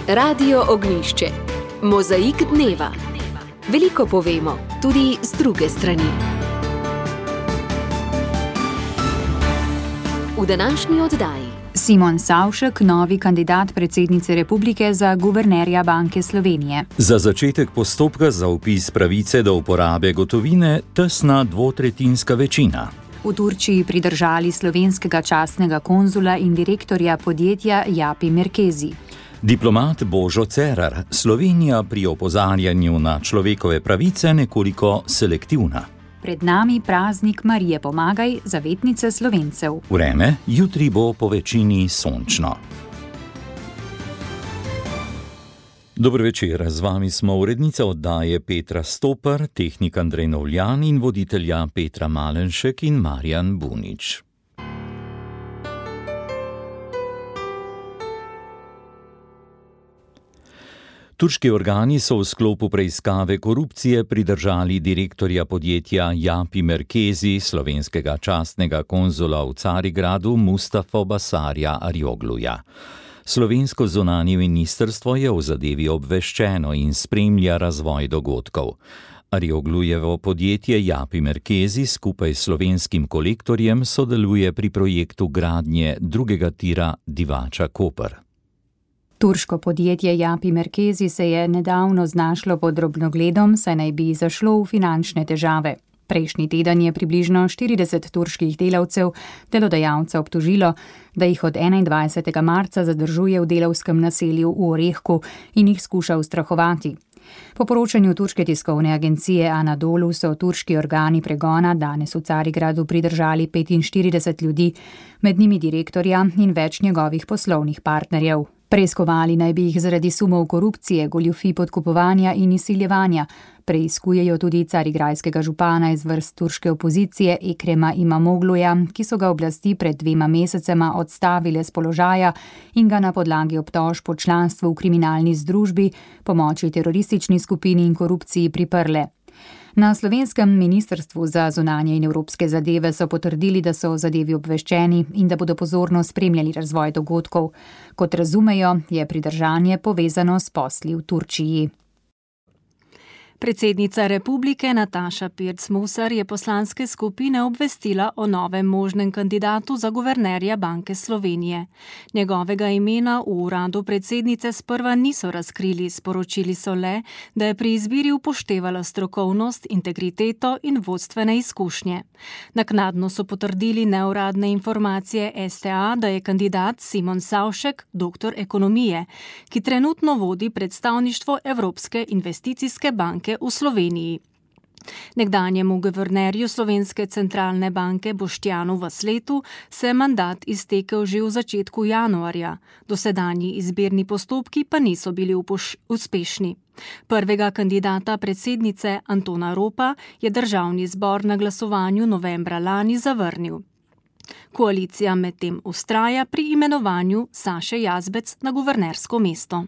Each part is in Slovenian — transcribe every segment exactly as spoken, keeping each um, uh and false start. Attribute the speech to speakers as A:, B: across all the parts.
A: Radio Ognjišče. Mozaik dneva. Veliko povemo, tudi z druge strani. V današnji oddaji
B: Simon Savšek, novi kandidat predsednice republike za guvernerja Banke Slovenije.
C: Za začetek postopka za vpis pravice do uporabe gotovine tesna dvotretjinska večina.
B: V Turčiji pridržali slovenskega častnega konzula in direktorja podjetja Japi Merkezi.
C: Diplomat Božo Cerar, Slovenija pri opozarjanju na človekove pravice nekoliko selektivna.
B: Pred nami praznik Marije Pomagaj, zavetnice Slovencev.
C: Vreme, jutri bo po večini sončno. Dober večer, z vami smo urednica oddaje Petra Stopar, tehnik Andrej Novljan in voditelja Petra Malenšek in Marjan Bunič. Turški organi so v sklopu preiskave korupcije pridržali direktorja podjetja Japi Merkezi, slovenskega častnega konzula v Carigradu Mustafa Basarja Arjogluja. Slovensko zunanje ministrstvo je v zadevi obveščeno in spremlja razvoj dogodkov. Arjoglujevo podjetje Japi Merkezi skupaj s slovenskim kolektorjem sodeluje pri projektu gradnje drugega tira Divača-Koper.
B: Turško podjetje Japi Merkezi se je nedavno znašlo pod drobnogledom, saj naj bi zašlo v finančne težave. Prejšnji teden je približno štirideset turških delavcev delodajalca obtožilo, da jih od enaindvajsetega marca zadržuje v delavskem naselju v Orehku in jih skuša ustrahovati. Po poročanju turške tiskovne agencije Anadolu so turški organi pregona danes v Carigradu pridržali petinštirideset ljudi, med njimi direktorja in več njegovih poslovnih partnerjev. Preiskovali naj bi jih zaradi sumov korupcije, goljufij podkupovanja in izsiljevanja. Preiskujejo tudi carigrajskega župana iz vrst turške opozicije Ekrema Imamogluja, ki so ga oblasti pred dvema mesecema odstavile z položaja in ga na podlagi obtožb po članstvu v kriminalni združbi, pomoči teroristični skupini in korupciji priprle. Na slovenskem ministrstvu za zunanje in evropske zadeve so potrdili, da so o zadevi obveščeni in da bodo pozorno spremljali razvoj dogodkov. Kot razumejo, je pridržanje povezano s posli v Turčiji.
D: Predsednica republike Nataša Pirc Musar je poslanske skupine obvestila o novem možnem kandidatu za guvernerja Banke Slovenije. Njegovega imena v uradu predsednice sprva niso razkrili, sporočili so le, da je pri izbiri upoštevala strokovnost, integriteto in vodstvene izkušnje. Naknadno so potrdili neuradne informacije S T A, da je kandidat Simon Savšek, doktor ekonomije, ki trenutno vodi predstavništvo Evropske investicijske banke v Sloveniji. Nekdanjemu guvernerju Slovenske centralne banke Boštjanu Vasletu se je mandat iztekel že v začetku januarja. Dosedanji izbirni postopki pa niso bili upoš- uspešni. Prvega kandidata predsednice Antona Ropa je državni zbor na glasovanju novembra lani zavrnil. Koalicija medtem vztraja pri imenovanju Saše Jazbec na guvernersko mesto.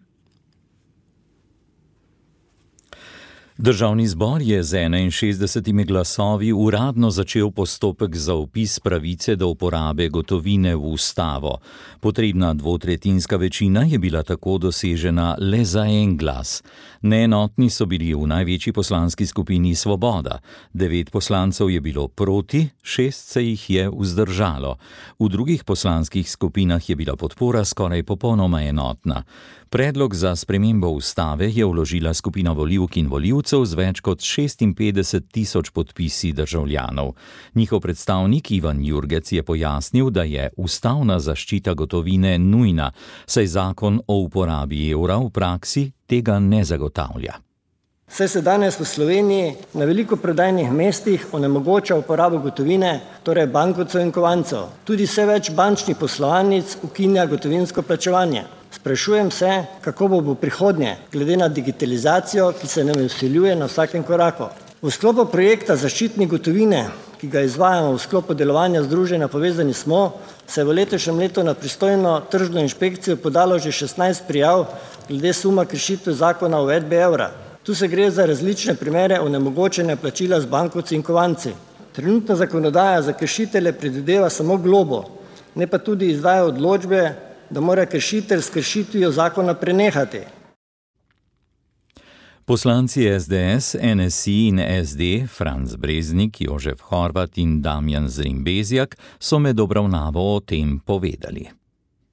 C: Državni zbor je z enainšestdesetimi glasovi uradno začel postopek za vpis pravice do uporabe gotovine v ustavo. Potrebna dvotretjinska večina je bila tako dosežena le za en glas. Neenotni so bili v največji poslanski skupini Svoboda. Devet poslancev je bilo proti, šest se jih je vzdržalo. V drugih poslanskih skupinah je bila podpora skoraj popolnoma enotna. Predlog za spremembo ustave je vložila skupina volivk in volivcev z več kot šestinpetdeset tisoč podpisi državljanov. Njihov predstavnik Ivan Jurgec je pojasnil, da je ustavna zaščita gotovine nujna, saj zakon o uporabi evra v praksi tega ne zagotavlja.
E: Saj se danes v Sloveniji na veliko prodajnih mestih onemogoča uporabo gotovine, torej bankovcev in kovancev. Tudi vse več bančnih poslovalnic ukinja gotovinsko plačevanje. Sprašujem se, kako bo v prihodnje, glede na digitalizacijo, ki se nam vsiljuje na vsakem koraku. V sklopu projekta zaščitne gotovine, ki ga izvajamo v sklopu delovanja Združenja Povezani smo, se je v letošnjem letu na pristojno tržno inšpekcijo podalo že šestnajst prijav glede suma kršitev zakona o uvedbi evra. Tu se gre za različne primere onemogočanja plačila z bankovci in kovanci. Trenutna zakonodaja za kršitelje predvideva samo globo, ne pa tudi izdaja odločbe da mora kršitelj s kršitvijo zakona prenehati.
C: Poslanci es de es, en es i in es de, Franc Breznik, Jožef Horvat in Damjan Zrimbezjak, so med obravnavo o tem povedali.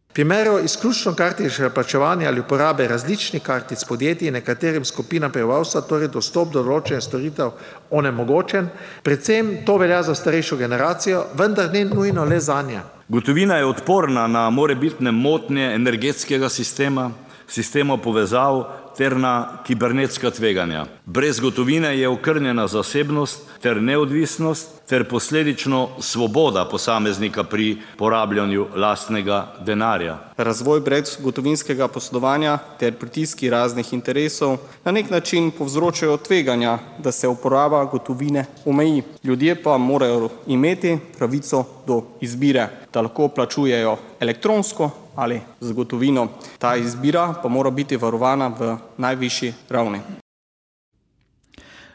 F: V primeru izključno kartičnega plačevanja ali uporabe različnih kartic podjetij nekaterim skupinam prebivalstva, torej dostop do določenih storitev onemogočen, predvsem to velja za starejšo generacijo, vendar ne nujno le zanje.
G: Gotovina je odporna na morebitne motnje energetskega sistema, sistemov povezav ter na kibernetska tveganja. Brez gotovine je okrnjena zasebnost ter neodvisnost ter posledično svoboda posameznika pri porabljanju lastnega denarja.
H: Razvoj brezgotovinskega poslovanja ter pritiski raznih interesov na nek način povzročajo tveganja, da se uporaba gotovine omeji. Ljudje pa morajo imeti pravico do izbire, da lahko plačujejo elektronsko ali z gotovino. Ta izbira pa mora biti varovana v najvišji ravni.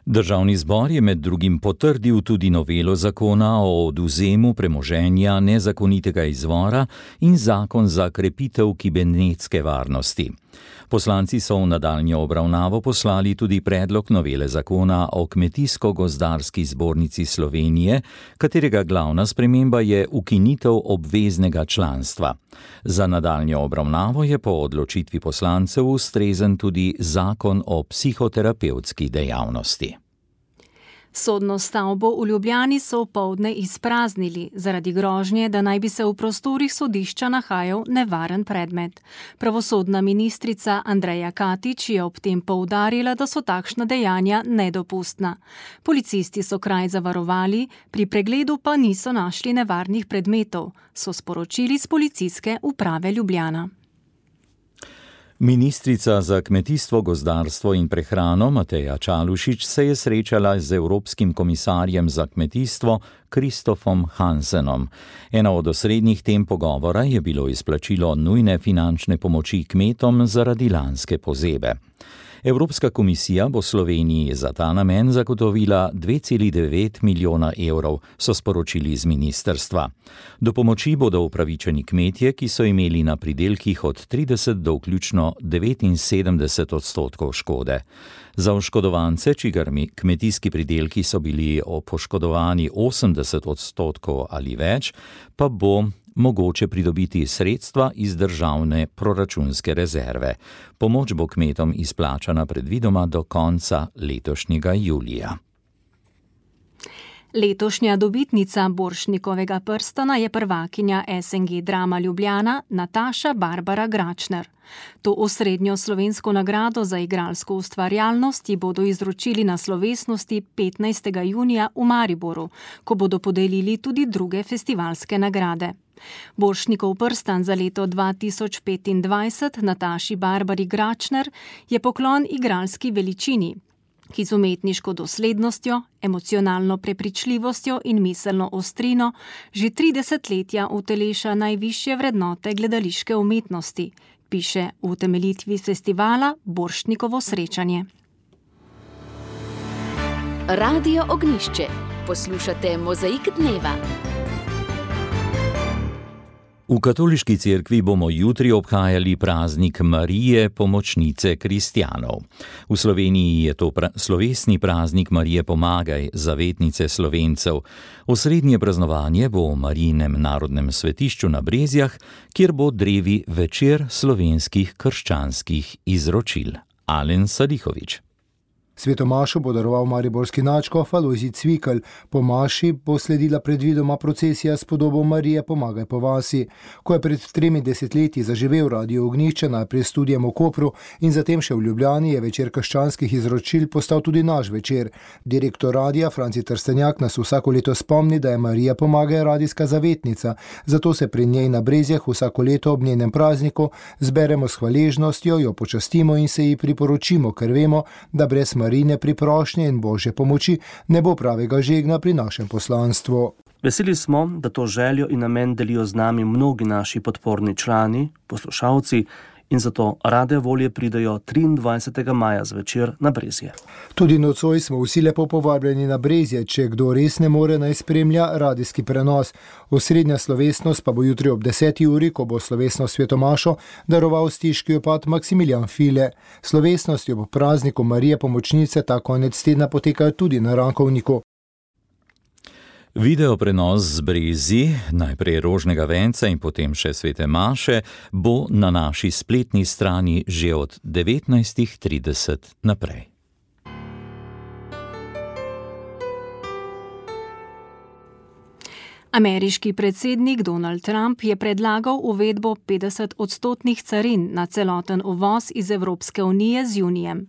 C: Državni zbor je med drugim potrdil tudi novelo zakona o odvzemu premoženja nezakonitega izvora in zakon za krepitev kibernetske varnosti. Poslanci so v nadaljnjo obravnavo poslali tudi predlog novele zakona o Kmetijsko-gozdarski zbornici Slovenije, katerega glavna sprememba je ukinitev obveznega članstva. Za nadaljnjo obravnavo je po odločitvi poslancev ustrezen tudi zakon o psihoterapevtski dejavnosti.
D: Sodno stavbo v Ljubljani so opoldne izpraznili zaradi grožnje, da naj bi se v prostorih sodišča nahajal nevaren predmet. Pravosodna ministrica Andreja Katič je ob tem poudarila, da so takšna dejanja nedopustna. Policisti so kraj zavarovali, pri pregledu pa niso našli nevarnih predmetov, so sporočili z Policijske uprave Ljubljana.
C: Ministrica za kmetijstvo, gozdarstvo in prehrano Mateja Čalušić se je srečala z Evropskim komisarjem za kmetijstvo Kristofom Hansenom. Ena od osrednjih tem pogovora je bilo izplačilo nujne finančne pomoči kmetom zaradi lanske pozebe. Evropska komisija bo Sloveniji za ta namen zagotovila dve celi devet milijona evrov, so sporočili iz ministrstva. Do pomoči bodo upravičeni kmetje, ki so imeli na pridelkih od trideset do vključno devetinsedemdeset odstotkov škode. Za oškodovance, čigar kmetijski pridelki so bili poškodovani osemdeset odstotkov ali več, pa bo mogoče pridobiti sredstva iz državne proračunske rezerve. Pomoč bo kmetom izplačana predvidoma do konca letošnjega julija.
D: Letošnja dobitnica Borštnikovega prstana je prvakinja es en ge Drama Ljubljana Nataša Barbara Gračner. To osrednjo slovensko nagrado za igralsko ustvarjalnost ji bodo izročili na slovesnosti petnajstega junija v Mariboru, ko bodo podelili tudi druge festivalske nagrade. Borštnikov prstan za leto dva tisoč petindvajset Nataši Barbari Gračner je poklon igralski veličini, ki z umetniško doslednostjo, emocionalno prepričljivostjo in miselno ostrino že tri desetletja uteleša najvišje vrednote gledališke umetnosti, piše v utemeljitvi festivala Borštnikovo srečanje.
A: Radio Ognjišče. Poslušate Mozaik dneva.
C: V katoliški cerkvi bomo jutri obhajali praznik Marije, pomočnice kristjanov. V Sloveniji je to pra- slovesni praznik Marije Pomagaj, zavetnice Slovencev. Osrednje praznovanje bo v Marijinem narodnem svetišču na Brezjah, kjer bo drevi večer slovenskih krščanskih izročil. Alen Sadihović.
I: Svetomašo bo daroval mariborski nadškof Alojzij Cvikl. Po maši bo sledila predvidoma procesija s podobo Marije Pomagaj po vasi. Ko je pred tremi desetletji zaživel Radio Ognjišče, najprej s studijem v Kopru in zatem še v Ljubljani, je večer krščanskih izročil postal tudi naš večer. Direktor radia Franci Trstenjak nas vsako leto spomni, da je Marija Pomagaj radijska zavetnica, zato se pri njej na Brezjah vsako leto ob njenem prazniku zberemo s hvaležnostjo, jo počastimo in se ji priporočimo, ker vemo, da brez Marine priprošnje in Božje pomoči ne bo pravega žegna pri našem poslanstvu.
J: Veseli smo, da to željo in namen delijo z nami mnogi naši podporni člani, poslušalci in zato rade volje pridejo triindvajsetega maja zvečer na Brezje.
I: Tudi nocoj smo vsi lepo povabljeni na Brezje, če kdo res ne more, naj spremlja radijski prenos. Osrednja slovesnost pa bo jutri ob deseti uri, ko bo slovesno svetomašo daroval stiški opat Maksimilijan File. Slovesnosti ob prazniku Marije Pomočnice ta konec tedna potekajo tudi na Rankovniku.
C: Video prenos z Brezij, najprej Rožnega venca in potem še Svete maše, bo na naši spletni strani že od devetnajstih trideset naprej.
D: Ameriški predsednik Donald Trump je predlagal uvedbo petdeset odstotnih carin na celoten uvoz iz Evropske unije z junijem.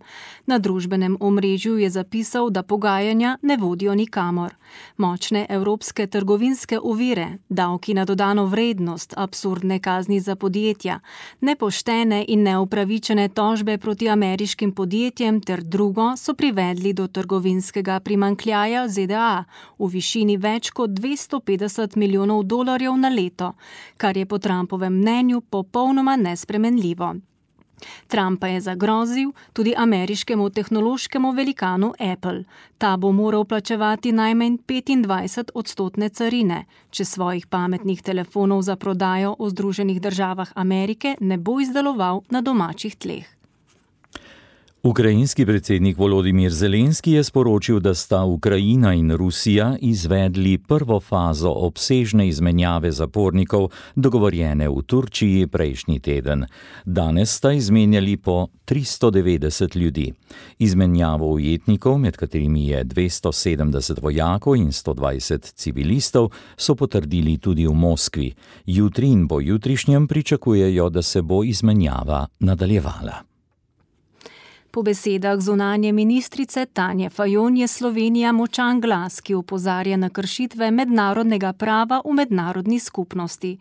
D: Na družbenem omrežju je zapisal, da pogajanja ne vodijo nikamor. Močne evropske trgovinske ovire, davki na dodano vrednost, absurdne kazni za podjetja, nepoštene in neupravičene tožbe proti ameriškim podjetjem ter drugo so privedli do trgovinskega primanjkljaja Z D A v višini več kot dvesto petdeset milijonov dolarjev na leto, kar je po Trumpovem mnenju popolnoma nespremenljivo. Trump pa je zagrozil tudi ameriškemu tehnološkemu velikanu Apple. Ta bo moral plačevati najmanj petindvajset odstotne carine, če svojih pametnih telefonov za prodajo v Združenih državah Amerike ne bo izdeloval na domačih tleh.
C: Ukrajinski predsednik Volodimir Zelenski je sporočil, da sta Ukrajina in Rusija izvedli prvo fazo obsežne izmenjave zapornikov, dogovorjene v Turčiji prejšnji teden. Danes sta izmenjali po tristo devetdeset ljudi. Izmenjavo ujetnikov, med katerimi je dvesto sedemdeset vojakov in sto dvajset civilistov, so potrdili tudi v Moskvi. Jutri in po jutrišnjem pričakujejo, da se bo izmenjava nadaljevala.
D: Po besedah zunanje ministrice Tanje Fajon je Slovenija močan glas, ki opozarja na kršitve mednarodnega prava v mednarodni skupnosti.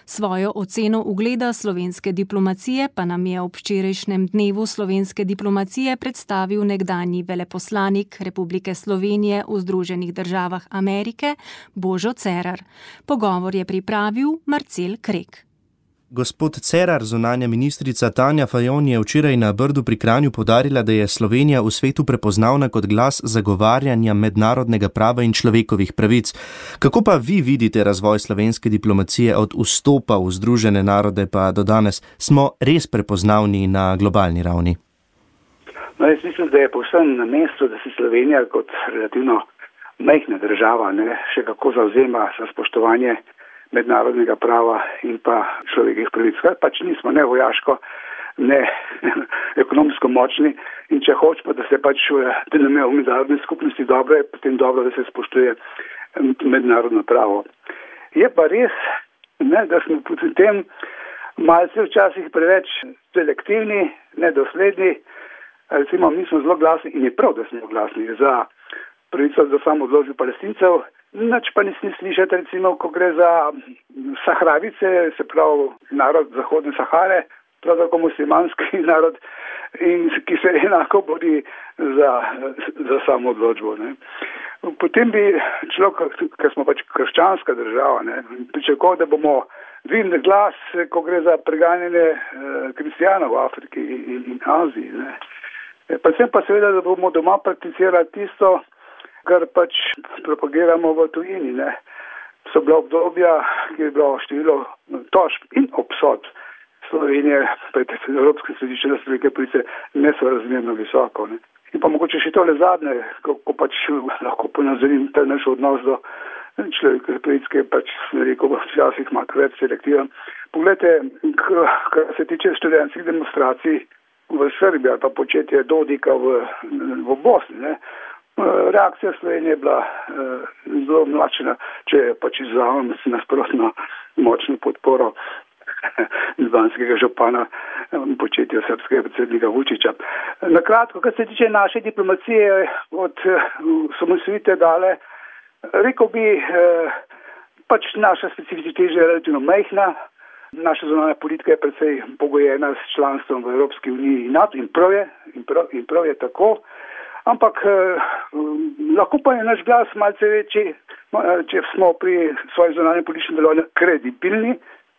D: Svojo oceno ugleda slovenske diplomacije pa nam je ob včerajšnjem dnevu slovenske diplomacije predstavil nekdanji veleposlanik Republike Slovenije v Združenih državah Amerike Božo Cerar. Pogovor je pripravil Marcel Krek.
K: Gospod Cerar, zunanja ministrica Tanja Fajon je včeraj na Brdu pri Kranju poudarila, da je Slovenija v svetu prepoznavna kot glas zagovarjanja mednarodnega prava in človekovih pravic. Kako pa vi vidite razvoj slovenske diplomacije od vstopa v Združene narode pa do danes? Smo res prepoznavni na globalni ravni?
L: No, jaz mislim, da je povsem na mestu, da se Slovenija kot relativno majhna država ne, še kako zavzema za spoštovanje mednarodnega prava in pa človekovih pravic. Pač nismo ne vojaško, ne ekonomsko močni in če hočemo, da se pač da nam je v mednarodni skupnosti dobro, je potem dobro, da se spoštuje mednarodno pravo. Je pa res, ne, da smo pri tem malce včasih preveč selektivni, nedosledni. Recimo, mi smo zelo glasni in je prav, da smo glasni za pravico do samoodločbe Palestincev. Nič pa nisem slišati, recimo, ko gre za Sahravice, se pravi narod Zahodne Sahare, prav tako muslimanski narod, in ki se enako bori za, za samo odločbo. Ne. Potem bi človek, ker smo pač krščanska država, ne, pričakoval, da bomo dvignili glas, ko gre za preganjanje eh, kristijanov v Afriki in, in Aziji. Ne. Predvsem pa seveda, da bomo doma prakticirali tisto, kar pač propagiramo v tujini. Ne. So bila obdobja, ki je bilo število tožb in obsodb Slovenije pred Evropskim sodiščem za človekove pravice nesorazmerno visoko. Ne. In pa mogoče še tole zadnje, ko, ko pač lahko ponazorim ta naš odnos do človekovih pravic, ki je pač, rekel, včasih malo več selektiven. Poglejte, kar se tiče študentskih demonstracij v Srbiji ali pa početje Dodika v, v Bosni, ne. Reakcija Slovenije je bila eh, zelo mlačna, če je pač izvajam nasprotno močno podporo ljubljanskega župana početja srpskega predsednika Vučića. Na kratko, kar se tiče naše diplomacije od osamosvojitve dale, rekel bi, eh, pač naša specifičnost je relativno majhna, naša zunanja politika je precej pogojena s članstvom v Evropski uniji in NATO in prav je, in prav, in prav je tako. Ampak eh, lahko pa je naš glas malce večji, če smo pri svojem zunanjem političnem delovanju kredibilni.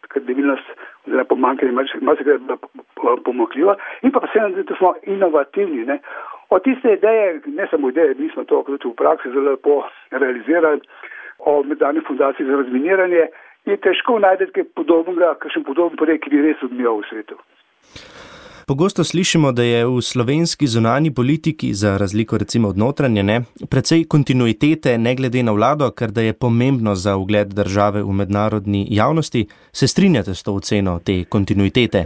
L: Kredibilnost oziroma pomanjkanje malce krat pomakljiva in pa predvsem, da smo inovativni. Ne. Od tiste ideje, ne samo ideje, mi smo to v praksi zelo lepo realizirali, o mednarodni fundaciji za razminiranje, je težko najti kaj podobnega, kakšen podoben projekt, ki bi res odmijal v svetu.
K: Pogosto slišimo, da je v slovenski zunanji politiki, za razliko recimo od notranje, ne, precej kontinuitete ne glede na vlado, ker da je pomembno za ugled države v mednarodni javnosti. Se strinjate s to oceno te kontinuitete?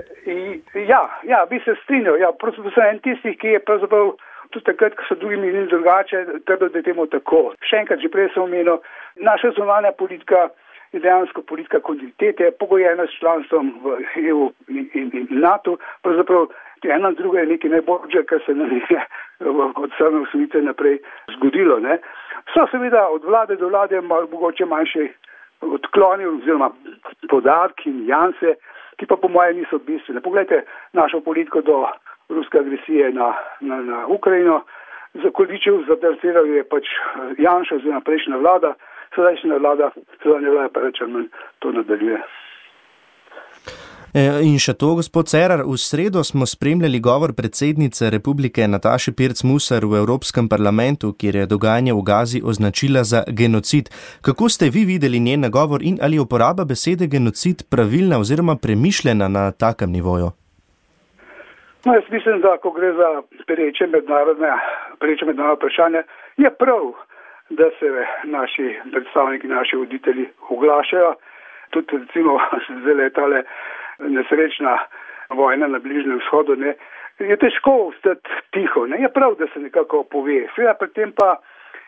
L: Ja, ja, bi se strinjal. Ja, pravzaprav sem en tistih, ki je pravzaprav tudi takrat, ko so drugi menili drugače, trdil, da je temu tako. Še enkrat, že prej sem omenil, naša zunanja politika je dejansko politika kontinuitete, pogojena s članstvom v E U in, in, in NATO. Pravzaprav ena druga je nekaj najboljše, kar se nam je od same osnovitve naprej zgodilo. Ne. So seveda od vlade do vlade malo mogoče manjše odkloni oziroma podarki in janse, ki pa po moje niso bistvene. Poglejte našo politiko do ruske agresije na, na, na Ukrajino. Za Količev zatrasiral je pač Janša oziroma prejšnja vlada, sedajšnja vlada, sedajšnja vlada pa reče, to nadaljuje.
K: In še to, gospod Cerar, v sredo smo spremljali govor predsednice Republike Nataše Pirc Musar v Evropskem parlamentu, kjer je dogajanje v Gazi označila za genocid. Kako ste vi videli njen nagovor in ali je uporaba besede genocid pravilna oziroma premišljena na takem nivoju?
L: No, jaz mislim, da ko gre za pereče mednarodne, pereče mednarodne vprašanje, je prav, da se naši predstavniki, naši voditelji oglašajo. Tudi recimo zdaj tale nesrečna vojna na Bližnjem vzhodu, ne, je težko ostati tiho. Ne. Je prav, da se nekako pove. Seveda pri tem pa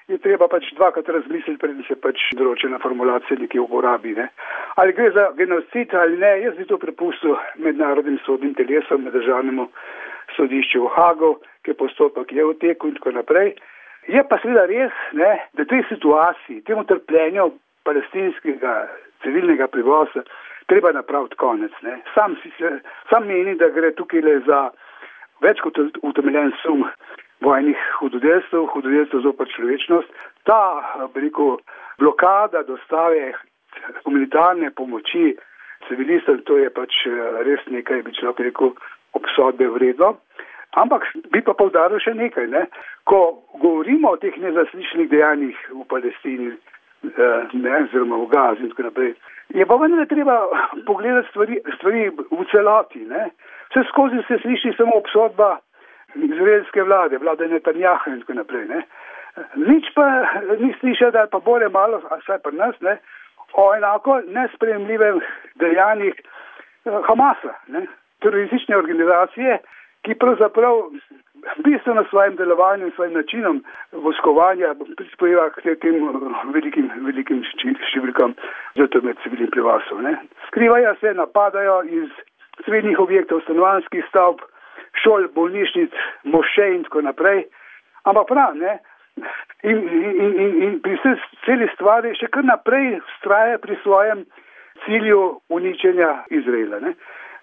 L: je treba pač dvakrat razmisliti, preden se pač določena formulacija nekje uporabi. Ne. Ali gre za genocid ali ne, jaz bi to prepustil mednarodnim sodnim telesom, med državnemu sodišču v Hagu, ki je postopek je v teku in tako naprej. Je pa seveda res, ne, da tej situaciji, temu trpljenju palestinskega civilnega prebivalstva treba napraviti konec. Ne. Sam, si se, sam meni, da gre tukaj le za več kot utemeljen sum vojnih hudodelstv, hudodelstv zoper človečnost. Ta, veliko, blokada dostave humanitarne pomoči civilistom, to je pač res nekaj, bi človek rekel, obsodbe vredno. Ampak bi pa poudaril še nekaj, ne. Ko govorimo o teh nezaslišanih dejanjih v Palestini, ne, oziroma v Gazi in tako naprej, je pa vendar treba pogledati stvari, stvari v celoti. Ne. Vse skozi se sliši samo obsodba izraelske vlade, vlade Netanjaha in tako naprej. Ne. Nič pa ni slišal, da je pa bolje malo, vsaj pri nas, ne, o enako nesprejemljivem dejanjih Hamasa, ne, teroristične organizacije, ki pravzaprav bistveno svojim delovanjem, svojim načinom vojskovanja prispeva k tem velikim, velikim številkam žrtev med civilnim prebivalstvom. Skrivajo se, napadajo iz civilnih objektov, stanovanjskih stavb, šol, bolnišnic, mošej in tako naprej. Ampak prav, ne? In, in, in, in pri vsej celi stvari še kar naprej vztraja pri svojem cilju uničenja Izraela. Ne?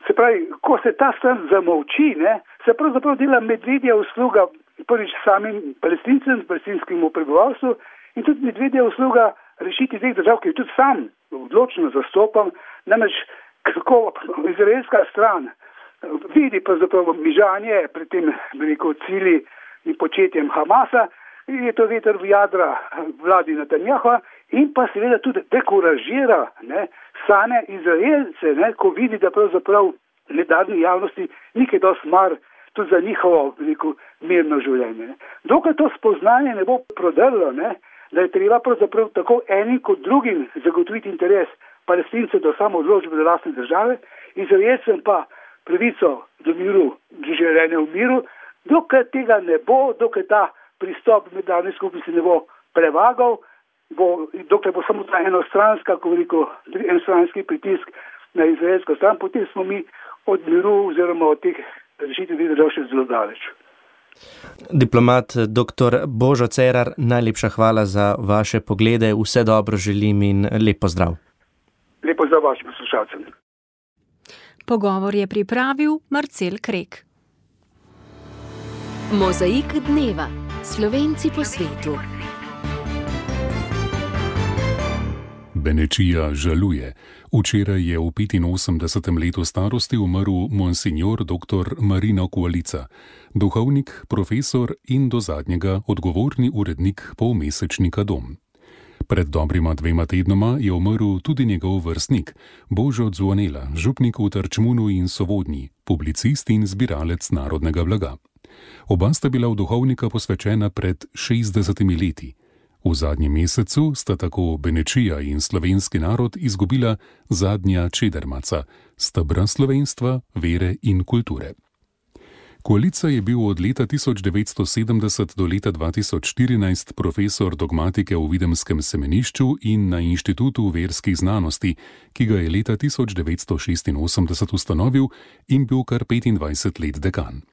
L: Se pravi, ko se ta stran zamolči, ne, se pravzaprav dela medvedja usluga prvič samim palestincem, palestinskemu prebivalstvu in tudi medvedja usluga rešiti teh držav, ki je tudi sam odločno zastopam, namreč kako izraelska stran vidi pravzaprav mižanje pred tem veliko cilji in početjem Hamasa, je to veter v jadra vladi Netanjaha in pa seveda tudi dekuražira, ne, same Izraelce, ne, ko vidi, da pravzaprav mednarodni javnosti nikaj dosti mar tudi za njihovo veliko mirno življenje. Ne. Dokaj to spoznanje ne bo prodrlo, ne, da je treba pravzaprav tako enim kot drugim zagotoviti interes Palestincev do samoodločbe do lastne države, Izraelcem pa pravico do miru, do življenja v miru, dokaj tega ne bo, dokaj ta pristop mednarodne skupnosti ne bo prevagal, bo, dokler bo samo ta enostranska, ko veliko, enostranski pritisk na izraelsko stran, potem smo mi od miru oziroma od teh rešitev držav še zelo daleč.
K: Diplomat doktor Božo Cerar, najlepša hvala za vaše poglede, vse dobro želim in lep pozdrav.
L: Lep pozdrav vašim poslušalcem.
D: Pogovor je pripravil Marcel Krek.
A: Mozaik dneva. Slovenci po svetu.
M: Benečija žaluje. Včeraj je v petinosemdesetem letu starosti umrl monsignor doktor Marino Kvalica, duhovnik, profesor in do zadnjega odgovorni urednik polmesečnika Dom. Pred dobrima dvema tednoma je umrl tudi njegov vrstnik, Božo Dzvonela, župnik v Trčmunu in Sovodnji, publicist in zbiralec narodnega blaga. Oba sta bila v duhovnika posvečena pred šestdesetimi leti. V zadnjem mesecu sta tako Benečija in slovenski narod izgubila zadnja čedermaca, stebra slovenstva, vere in kulture. Kvalica je bil od leta tisoč devetsto sedemdeset do leta dva tisoč štirinajst profesor dogmatike v Videmskem semenišču in na Inštitutu verskih znanosti, ki ga je leta tisoč devetsto šestinosemdeset ustanovil in bil kar petindvajset let dekan.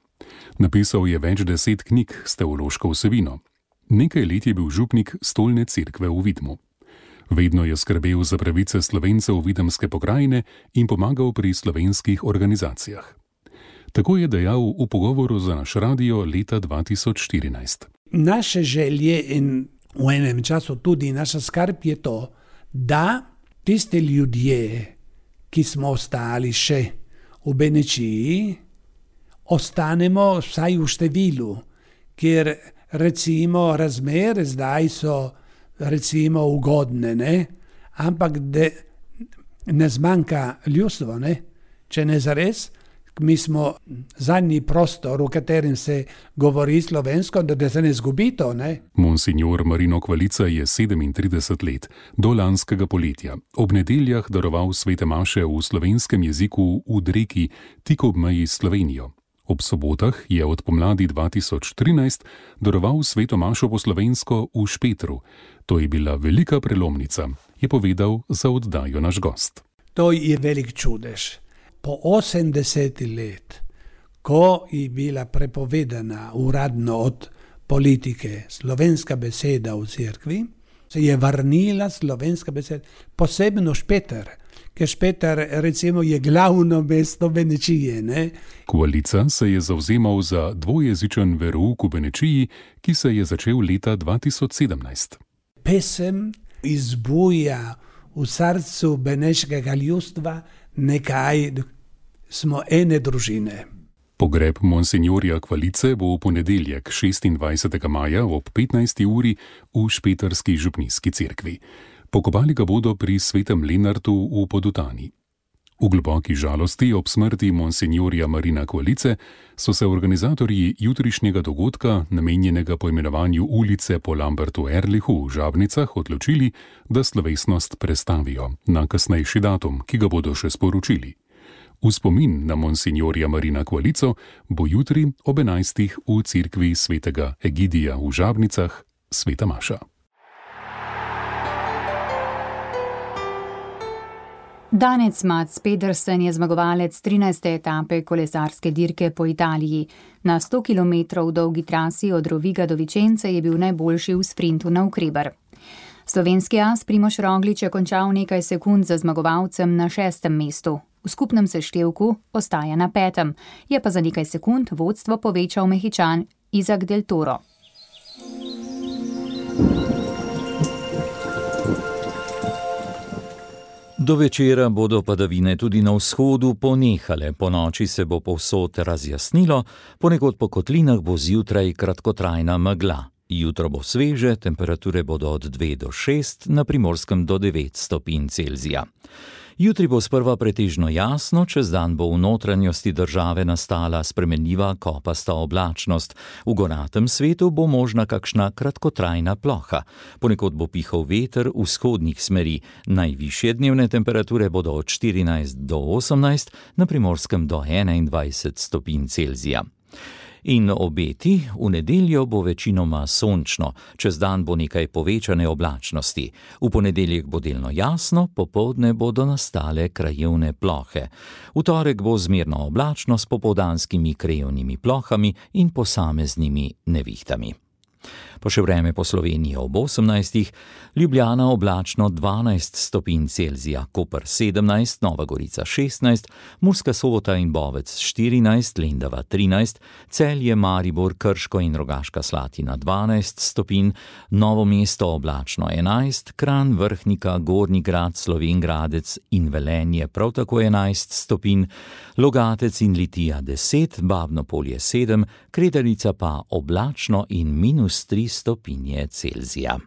M: Napisal je več deset knjig s teološko vsebino. Nekaj let je bil župnik stolne cerkve v Vidmu. Vedno je skrbel za pravice Slovencev Videmske pokrajine in pomagal pri slovenskih organizacijah. Tako je dejal v pogovoru za naš radio leta dva tisoč štirinajst.
N: Naše želje in v enem času tudi naša skrb je to, da tiste ljudje, ki smo ostali še v Benečiji, ostanemo vsaj v številu, ker recimo razmere zdaj so recimo ugodne, ne? Ampak de, ne zmanjka ljudstvo, ne? Če ne zares, mi smo zadnji prostor, v katerem se govori slovensko, da se ne zgubi to, ne?
M: Monsignor Marino Kvalica je sedemintrideset let, do lanskega poletja, ob nedeljah daroval svete maše v slovenskem jeziku v Dreki, tik ob meji s Slovenijo. Ob sobotah je od pomladi dva tisoč trinajst daroval sveto mašo po slovensko v Špetru. To je bila velika prelomnica, je povedal za oddajo naš gost.
N: To je velik čudež. Po osemdeset let, ko je bila prepovedana uradno od politike slovenska beseda v cerkvi, se je vrnila slovenska beseda, posebno Špeter. Ker Špeter recimo je glavno mesto Benečije, ne?
M: Kvalica se je zavzemal za dvojezičen verouk v Benečiji, ki se je začel leta dva tisoč sedemnajst.
N: Pesem izbuja v srcu beneškega ljudstva nekaj, smo ene družine.
M: Pogreb monsignorja Kvalice bo v ponedeljek šestindvajsetega maja ob petnajsti uri v špetrski župnijski cerkvi. Pokopali ga bodo pri svetem Lenartu v Podutani. V globoki žalosti ob smrti monsignorja Marina Kvalice so se organizatorji jutrišnjega dogodka, namenjenega poimenovanju ulice po Lambertu Erlichu v Žabnicah, odločili, da slovesnost prestavijo na kasnejši datum, ki ga bodo še sporočili. V spomin na monsignorja Marina Kvalico bo jutri ob enajstih v cerkvi svetega Egidija v Žabnicah sveta maša.
B: Danec Mats Pedersen je zmagovalec trinajste etape kolesarske dirke po Italiji. Na sto kilometrov dolgi trasi od Roviga do Vicence je bil najboljši v sprintu navkreber. Slovenski as Primož Roglič je končal nekaj sekund za zmagovalcem na šestem mestu. V skupnem seštevku ostaja na petem, je pa za nekaj sekund vodstvo povečal Mehičan Izak del Toro.
C: Do večera bodo padavine tudi na vzhodu ponehale, po noči se bo povsod razjasnilo, ponekod po kotlinah bo zjutraj kratkotrajna megla. Jutro bo sveže, temperature bodo od dve do šest, na Primorskem do devet stopinj Celzija. Jutri bo sprva pretežno jasno, čez dan bo v notranjosti države nastala spremenljiva kopasta oblačnost. V goratem svetu bo možna kakšna kratkotrajna ploha. Ponekod bo pihal veter vzhodnih smeri. Najvišje dnevne temperature bodo od štirinajst do osemnajst, na Primorskem do enaindvajset stopinj Celzija. In obeti, v nedeljo bo večinoma sončno, čez dan bo nekaj povečane oblačnosti. V ponedeljek bo delno jasno, popoldne bodo nastale krajevne plohe. V torek bo zmerno oblačno s popoldanskimi krajevnimi plohami in posameznimi nevihtami. Pa še vreme po Sloveniji ob osemnajstih, Ljubljana oblačno dvanajst stopinj Celzija, Koper sedemnajst, Nova Gorica šestnajst, Murska Sobota in Bovec štirinajst, Lendava trinajst, Celje, Maribor, Krško in Rogaška Slatina dvanajst stopinj, Novo mesto oblačno enajst, Kranj, Vrhnika, Gornji Grad, Slovenj Gradec in Velenje prav tako enajst stopinj, Logatec in Litija deset, Babno Polje sedem, Kredarica pa oblačno in minus tri stopinje Celzija.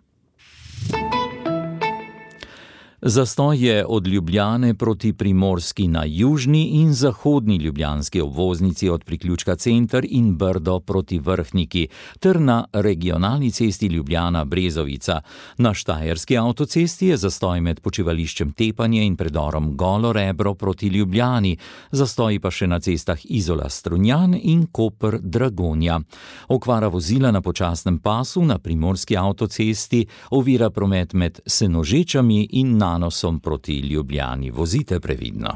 C: Zastoj je od Ljubljane proti Primorski na južni in zahodni ljubljanski obvoznici od priključka Center in Brdo proti Vrhniki ter na regionalni cesti Ljubljana-Brezovica. Na štajerski avtocesti je zastoj med počivališčem Tepanje in predorom Golo Rebro proti Ljubljani, zastoji pa še na cestah Izola-Strunjan in Koper-Dragonja. Okvara vozila na počasnem pasu na primorski avtocesti ovira promet med Senožečami in na Nanosom proti Ljubljani. Vozite previdno.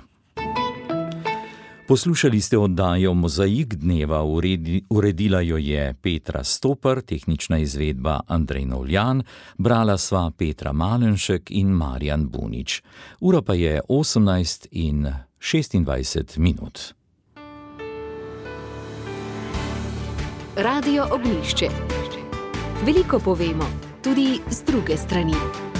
C: Poslušali ste oddajo Mozaik dneva, uredi, uredila jo je Petra Stopar, tehnična izvedba Andrej Novljan, brala sva Petra Malenšek in Marjan Bunič. Ura pa je osemnajst in šestindvajset minut.
A: Radio Ognjišče. Veliko povemo, tudi z druge strani.